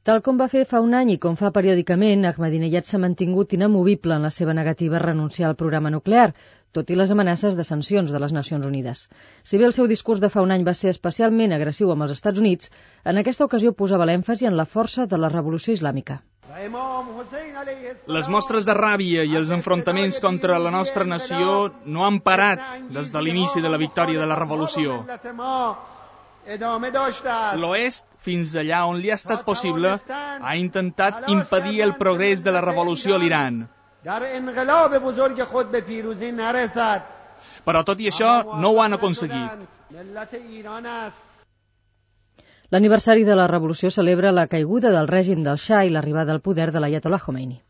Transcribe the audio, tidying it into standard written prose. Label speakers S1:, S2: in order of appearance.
S1: Tal com va fer fa un any i com fa periòdicament, Ahmadinejad s'ha mantingut inamovible en la seva negativa a renunciar al programa nuclear, tot i les amenaces de sancions de les Nacions Unides. Si bé el seu discurs de fa un any va ser especialment agressiu amb els Estats Units, en aquesta ocasió posava l'èmfasi en la força de la revolució islàmica.
S2: Les mostres de ràbia i els enfrontaments contra la nostra nació no han parat des de l'inici de la victòria de la revolució. L'Oest, fins allà on li ha estat possible, ha intentat impedir el progrés de la revolució a l'Iran. Però tot i això no ho han aconseguit.
S1: L'aniversari de la revolució celebra la caiguda del règim del Shah i l'arribada al poder de l'Aiatollah Khomeini.